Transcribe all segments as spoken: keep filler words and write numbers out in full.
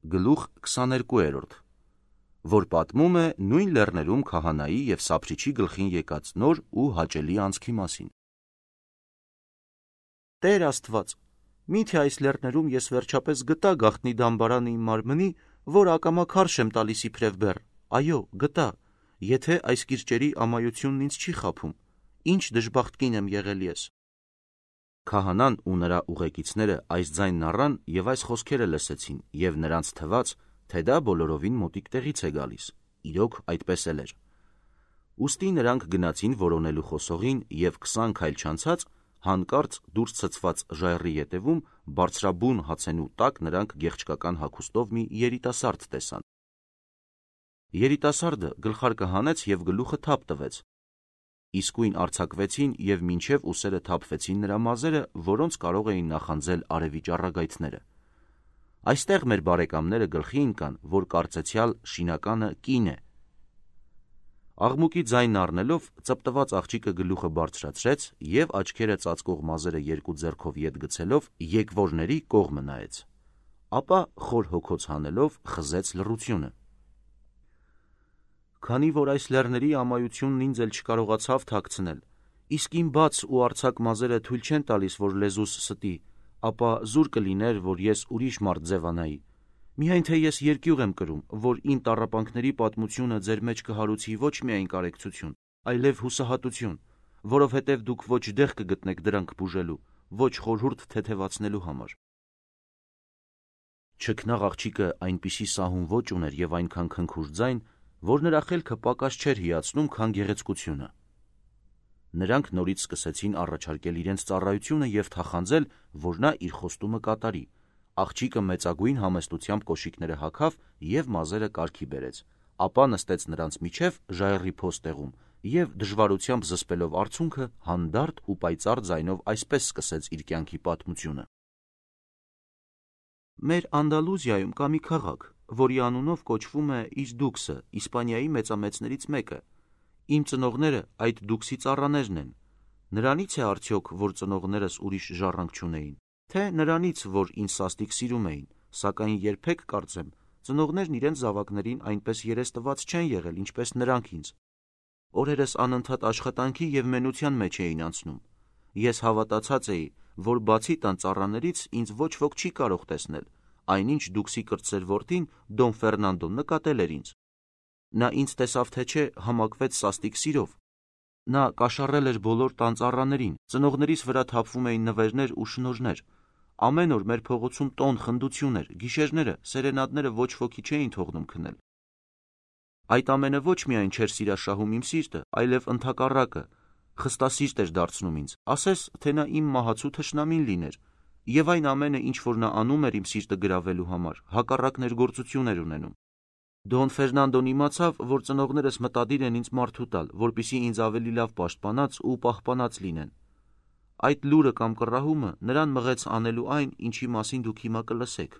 գլուխ քսաներկուերորդ, որ պատմում է նույն լեռներում քահանայի և սափրիչի գլխին եկած նոր ու հաճելի անցքի մասին։ Տեր Աստված, միթե այս լեռներում ես վերջապես գտա գաղտնի դամբարանը իմ մարմնի, որ ակամա քարշ եմ տալիս իբրև բեռ, այո, գտա, եթե այս կիրճերի ամայությունն ինձ չի խաբում, ինչ դժբախտ կին եմ եղել ես։ Քահանան ու նրա ուղեկիցները այս ձայնն առան և այս խոսքերը լսեցին, և նրանց թվաց, թե դա բոլորովին մոտիկ տեղից է գալիս, իրոք այդպես էլ էր։ Ուստի նրանք գնացին որոնելու խոսողին և քսան քայլ չանցած, հանկարծ դուրս ցցված ժայռի ետևում բարձրաբուն հացենու տակ նրանք գեղչկական հագուստով մի երիտասարդ տեսան։ Երիտասարդը գլխարկը հանեց և գլուխը թափ տվեց։ Իսկույն արձակվեցին և մինչև ուսերը թափվեցին նրա մազերը, որոնց կարող էին նախանձել արևի ճառագայթները։ Այստեղ մեր բարեկամները գլխի ընկան, որ կարծեցյալ շինականը կին է։ Աղմուկի ձայնն առնելով, ծպտված աղջիկը գլուխը բարձրացրեց և աչքերը ծածկող մազերը երկու ձեռքով ետ գցելով եկվորների կողմը նայեց, ապա խոր հոգոց հանելով խզեց լռությունը։ Քանի որ այս լեռների ամայությունն ինձ էլ չկարողացավ թաքցնել, իսկ իմ բաց ու արձակ մազերը թույլ չեն տալիս, որ լեզուս ստի, ապա զուր կլիներ, որ ես ուրիշ մարդ ձևանայի։ Միայն թե ես երկյուղ եմ կրում, որ իմ տառապանքների պատմությունը ձեր մեջ կհարուցի ոչ միայն կարեկցություն, այլև հուսահատություն, որովհետև դուք ոչ դեղ կգտնեք դրանք բուժելու, ոչ խորհուրդ թեթևացնելու համար։ Չքնաղ աղջիկը այնպիսի սահուն ոճ ուներ և այնքան քնքուշ ձայն, որ նրա խելքը պակաս չէր հիացնում, քան գեղեցկությունը։ Նրանք նորից սկսեցին առաջարկել իրենց ծառայությունը և թախանձել, որ նա իր խոստումը կատարի։ Աղջիկը մեծագույն համեստությամբ կոշիկները հագավ և մազերը կարգի բերեց, ապա նստեց նրանց միջև ժայռի փոստեղում և դժվարությամբ զսպելով արցունքը, հանդարտ ու պայծառ ձայնով այսպես սկսեց իր կյանքի պատմությունը։ Մեր Անդալուզիայում կա մի քաղաք, որի անունով կոչվում է Իզդուքսը, Իսպանիայի մեծամեծներից մեկը։ Իմ ծնողները այդ դուքսի ծառաներն են։ Նրանից է արդյոք, որ ծնողներս ուրիշ ժառանգ չունեին, թե նրանից, որ ինձ սաստիկ սիրում էին, սակայն երբեք, կարծեմ, ծնողներն իրենց զավակներին այնպես երես տված չեն եղել, ինչպես նրանք ինձ։ Օրերս անընդհատ աշխատանքի և մենության մեջ էին անցնում։ Ես հավատացած էի, որ բացի տան ծառաներից ինձ ոչ ոք չի կարող տեսնել, այնինչ դուքսի կրտսեր որդին Դոն Ֆերնանդոն նկատել էր ինձ։ Նա ինձ տեսավ թե չէ, համակվեց սաստիկ սիրով։ Նա կաշառել էր բոլոր տան ծառաներին, ծնողներիս վրա թափվում էին նվերներ ու շնորհներ։ Ամեն օր մեր փողոցում տոն խնդություն էր, գիշերները սերենադները ոչ ոքի չէին թողնում քնել։ Այդ ամենը ոչ միայն չէր սիրաշահում իմ սիրտը, այլև ընդհակառակը, խստասիրտ էր դարձնում ինձ, ասես թե նա իմ մահացու թշնամին լիներ, և այն ամենը, ինչ որ նա անում էր իմ սիրտը գրավելու համար, հակառակ ներգործություն էր ունենում։ Դոն Ֆերնանդոն իմացավ, որ ծնողներս մտադիր են ինձ մարդու տալ, որպեսզի ինձ ավելի լավ պաշտպանած ու պահպանած լինեն։ Այդ լուրը կամ կռահումը նրան մղեց անելու այն, ինչի մասին դուք հիմա կլսեք։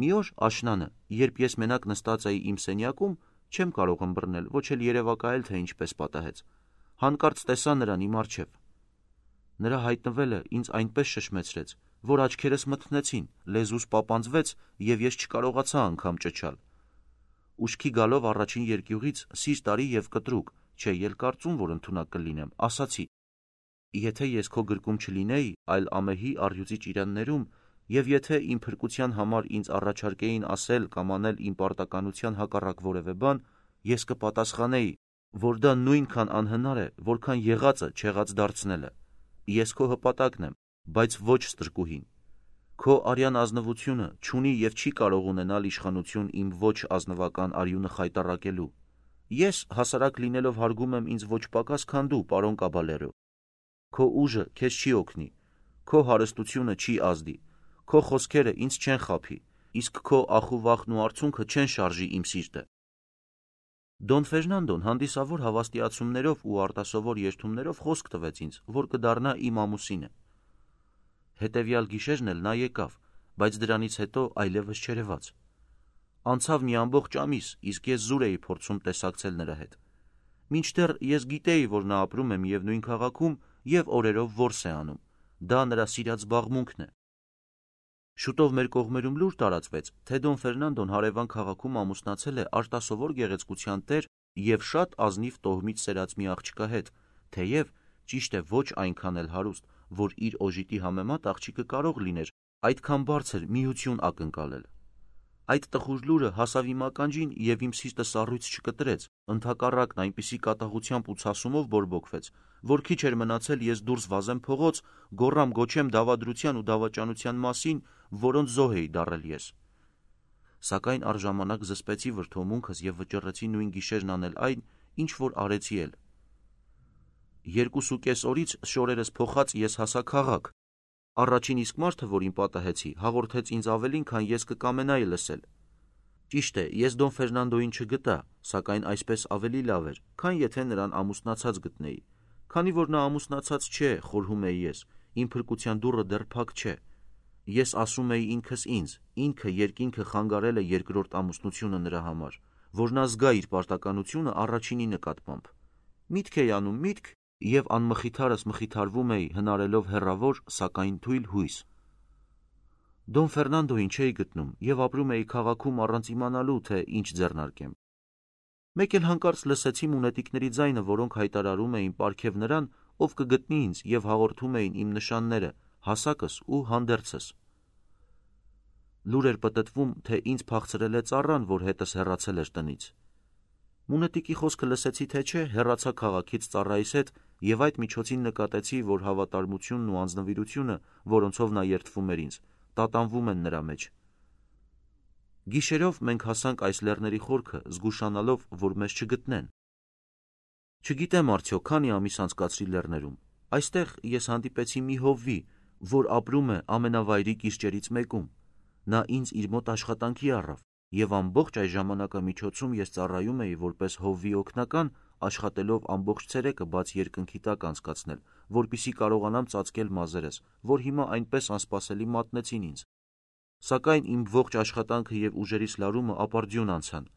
Մի օր աշնանը, երբ ես մենակ նստած էի իմ սենյակում, չեմ կարող ըմբռնել, ոչ էլ երևակայել, թե ինչպես պատահեց, հանկարծ տեսա նրան իմ առջև։ Նրա հայտնվելը ինձ այնպես շշմեցրեց, որ աչքերս մթնեցին, լեզուս պապանձվեց և ես չկարողացա անգամ ճչալ։ Ուշքի գալով առաջին երկյուղից, սիրտ արի և կտրուկ, չէ էլ կարծում, որ ընդունակ կլինեմ, ասացի. եթե ես քո գրկում չլինեի, այլ ամեհի առյուծի ճիրաններում, և եթե իմ փրկության համար ինձ առաջարկեին ասել կամ անել իմ պարտականության հակառակ որևէ բան, ես կպատասխանեի, որ դա նույնքան անհնար է, որքան եղածը չեղած դարձնելը։ Ես քո հպատակն եմ, բայց ոչ ստրկուհին։ Քո արյան ազնվությունը չունի և չի կարող ունենալ իշխանություն իմ ոչ ազնվական արյունը խայտառակելու։ Ես հասարակ լինելով հարգում եմ ինձ ոչ պակաս, քան դու, պարոն Կաբալերո։ Քո ուժը քեզ չի օգնի, քո հարստությունը չի ազդի, քո խոսքերը ինձ չեն խաբի, իսկ քո ախուվախն ու արցունքը չեն շարժի իմ սիրտը։ Դոն Ֆերնանդոն հանդիսավոր հավաստիացումներով ու արտասովոր երդումներով խոսք տվեց ինձ, որ կդառնա իմ ամուսինը։ Հետևյալ գիշերն էլ նա եկավ, բայց դրանից հետո այլևս չերևաց։ Անցավ մի ամբողջ ամիս, իսկ ես զուր էի փորձում տեսակցել նրա հետ։ Մինչդեռ ես գիտեի, որ նա ապրում է միևնույն քաղաքում և օրերով որս է անում։ Դա նրա սիրած զբաղմունքն է։ Շուտով մեր կողմերում լուր տարածվեց, թե Դոն Ֆերնանդոն հարևան քաղաքում ամուսնացել է արտասովոր գեղեցկության տեր և շատ ազնիվ տոհմից սերած մի աղջկա հետ, թեև ճիշտ է ոչ այնքան էլ հարուստ, որ իր օժիտի համեմատ աղջիկը կարող լիներ այդքան բարձր միություն ակնկալել։ Այդ տխուր լուրը հասավ իմ ականջին և իմ սիրտը սառույց չկտրեց, ընդհակառակն այնպիսի կատաղությամբ ու ցասումով բորբոքվեց, որ քիչ էր մնացել ես դուրս վազեմ փողոց, գոռամ գոչեմ դավադրության ու դավաճանության մասին, որոնց զոհ էի դառել ես։ Սակայն առժամանակ զսպեցի վրդովմունքս և վճռեցի նույն գիշերն անել այն, ինչ որ արեցի էլ։ Երկուսուկես օրից շորերս փոխած ես հասա քաղաք։ Առաջին իսկ մարդը, որին պատահեցի, հաղորդեց ինձ ավելին, քան ես կկամենայի լսել։ Ճիշտ է, ես Դոն Ֆերնանդոյին չգտա, սակայն այսպես ավելի լավ էր, քան եթե նրան ամուսնացած գտնեի։ Քանի որ նա ամուսնացած չէ, խորհում էի ես, իմ փրկության դուռը դեռ փակ չէ։ Ես ասում էի ինքս ինձ, ինքը երկինքը խանգարել է երկրորդ ամուսնությունը նրա համար, որ նա զգա իր պարտականությունը առաջինի նկատմամբ։ Միտք էի անում միտք, և անմխիթարս մխիթարվում էի հնարելով հեռավոր, սակայն թույլ հույս։ Դոն Ֆերնանդոյին չէի գտնում և ապրում էի քաղաքում առանց իմանալու, թե ինչ ձեռնարկեմ։ Մեկ էլ հանկարծ լսեցի մունետիկների ձայնը, որոնք հայտարարում էին պարգև նրան, ով կգտնի ինձ և հաղորդում էին իմ նշանները, հասակս ու հանդերձս։ Լուր էր պտտվում, թե ինձ փախցրել է ծառան, որ հետս հեռացել էր տնից։ Մունետիկի խոսքը լսեցի թե չէ, հեռացա քաղաքից ծառայիս հետ և այդ միջոցին նկատեցի, որ հավատարմությունն ու անձնվիրությունը, որոնցով նա երդվում էր ինձ, տատանվում են նրա մեջ։ Գիշերով մենք հասանք այս լեռների խորքը, զգուշանալով, որ մեզ չգտնեն։ Չգիտեմ արդյոք քանի ամիս անցկացրի լեռներում։ Այստեղ ես հանդիպեցի մի հովվի, որ ապրում է ամենավայրի կիրճերից մեկում։ Նա ինձ իր մոտ աշխատանքի առավ, և ամբողջ այս ժամանակամիջոցում ես ծառայում էի որպես հովվի օգնական, աշխատելով ամբողջ ցերեկը բաց երկնքի տակ անցկացնել, որպեսզի կարողանամ ծածկել մազերս, որ հիմա այնպես անսպասելի մատնեցին ինձ։ Սակայն իմ ողջ աշխատանքը և ուժերիս լարումը ապարդյուն անցան,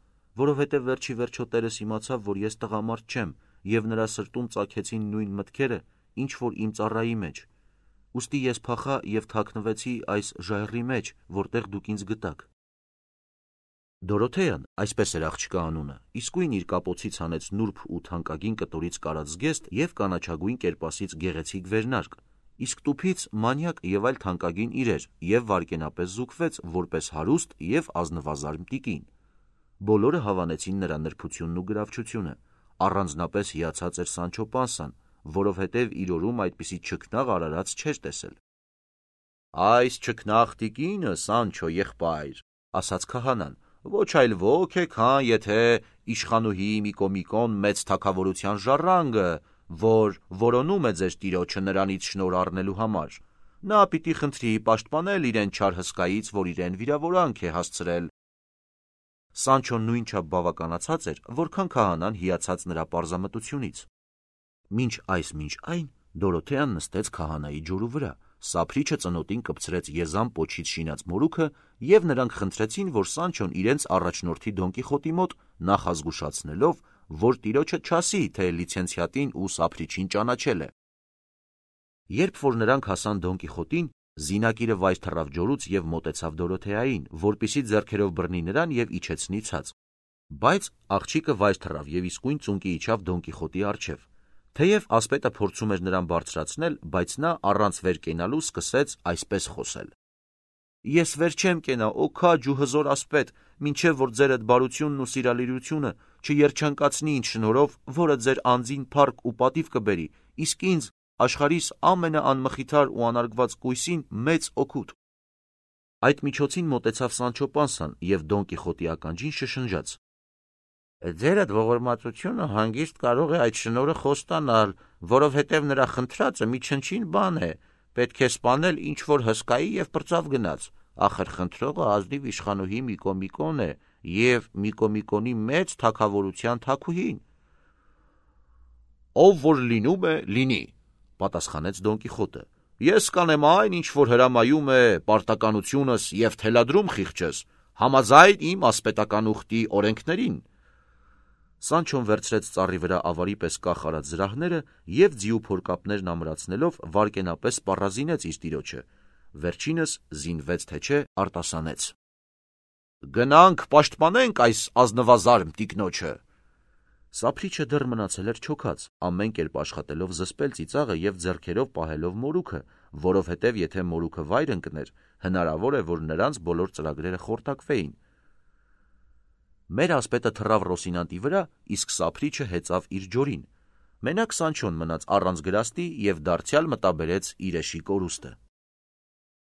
որովհետև վերջի վերջո տերս իմացավ, որ ես տղամարդ չեմ, և նրա սրտում ծագեցին նույն մտքերը, ինչ որ իմ ծառայի մեջ։ Ուստի ես փախա և թաքնվեցի այս ժայռի մեջ, որտեղ դուք ինձ գտաք։ Դորոթեան, այսպես էր աղջկա անունը, իսկույն իր կապոցից հանեց նուրբ ու թանկագին կտորից կարած զգեստ և կանաչագույն կերպասից գեղեցիկ վերնարկ, իսկ տուփից մանյակ և այլ թանկագին իրեր և վայրկենապես զուգվեց որպես հարուստ և ազնվազարմ տիկին։ Բոլորը հավանեցին նրա նրբությունն ու գրավչությունը, առանձնապես հիացած էր Սանչո Պանսան, որովհետև իր օրում այդպիսի չքնաղ արարած չէր տեսել։ Այս չքնաղ տիկինը, Սանչո եղբայր, ասաց քահանան, ոչ այլ ոք է, քան եթե իշխանուհի Միկոմիկոն մեծ թագավորության ժառանգը, որ որոնում է ձեր տիրոջը նրանից շնորհ առնելու համար։ Նա պիտի խնդրի պաշտպանել իրեն չար հսկայից, որ իրեն վիրավորանք է հասցրել։ Սանչոն նույնչափ բավականացած էր, որքան քահանան հիացած նրա պարզամտությունից։ Մինչ այս մինչ այն Դորոթեան նստեց քահանայի ջուրու վրա, սափրիչը ծնոտին կպցրեց եզան պոչից շինած մորուքը, և նրանք խնդրեցին, որ Սանչոն իրենց առաջնորդի Դոն Կիխոտի մոտ նախազգուշացնելով, որ տիրոջը չասի, թե լիցենցիատին ու սափրիչին ճանաչել է։ Երբ որ նրանք հասան Դոն Կիխոտին, զինակիրը վայր թռավ ջորուց և մոտեցավ Դորոթեային, որպեսզի ձեռքերով բռնի նրան և իջեցնի ցած։ Բայց աղջիկը վայր թռավ և իսկույն ծունկի իջավ Դոն Կիխոտի առջև։ Թեև ասպետը փորձում էր նրան բարձրացնել, բայց նա առանց վեր կենալու սկսեց այսպես խոսել. Ես վեր չեմ կենա, օ քաջ ու հզոր ասպետ, մինչև որ ձեր այդ բարությունն ու սիրալիրությունը չերջանկացնի ինձ շնորհով, որը ձեր անձին փառք ու պատիվ կբերի, իսկ ինձ, աշխարհիս ամենաանմխիթար ու անարգված կույսին, մեծ օգուտ։ Այդ միջոցին մոտեցավ Սանչո Պանսան և Դոն Կիխոտի ականջին շշնջաց. Ձեր այդ ողորմածությունը հանգիստ կարող է այդ շնորհը խոստանալ, որովհետև նրա խնդրածը մի չնչին բան է, պետք է սպանել ինչ որ հսկայի և պրծավ գնաց, ախր խնդրողը ազնիվ իշխանուհի Միկոմիկոն է և Միկոմիկոնի մեծ թագավորության թագուհին։ Ով որ լինում է, լինի, պատասխանեց Դոն Կիխոտը։ Ես կանեմ այն, ինչ որ հրամայում է պարտականությունս և թելադրում խիղճս, համաձայն իմ ասպետական ուխտի օրենքներին։ Սանչոն վերցրեց ծառի վրա ավարի պես կախ արած զրահները և ձիու փորկապներն ամրացնելով վայրկենապես սպառազինեց իր տիրոջը, վերջինս զինվեց թե չէ արտասանեց. «Գնանք պաշտպանենք այս ազնվազարմ տիկնոջը»։ Սափրիչը դեռ մնացել էր չոքած, ամեն կերպ աշխատելով զսպել ծիծաղը և ձեռքերով պահելով մորուքը, որովհետև եթե մորուքը վայր ընկներ, հնարավոր է, որ նրանց բոլոր ծրագրերը խորտակվեին։ Մեր ասպետը թռավ Ռոսինանտի վրա, իսկ Սափրիչը հեծավ իր ջորին։ Մենակ Սանչոն մնաց առանց գրաստի և դարձյալ մտաբերեց իր էշի կորուստը։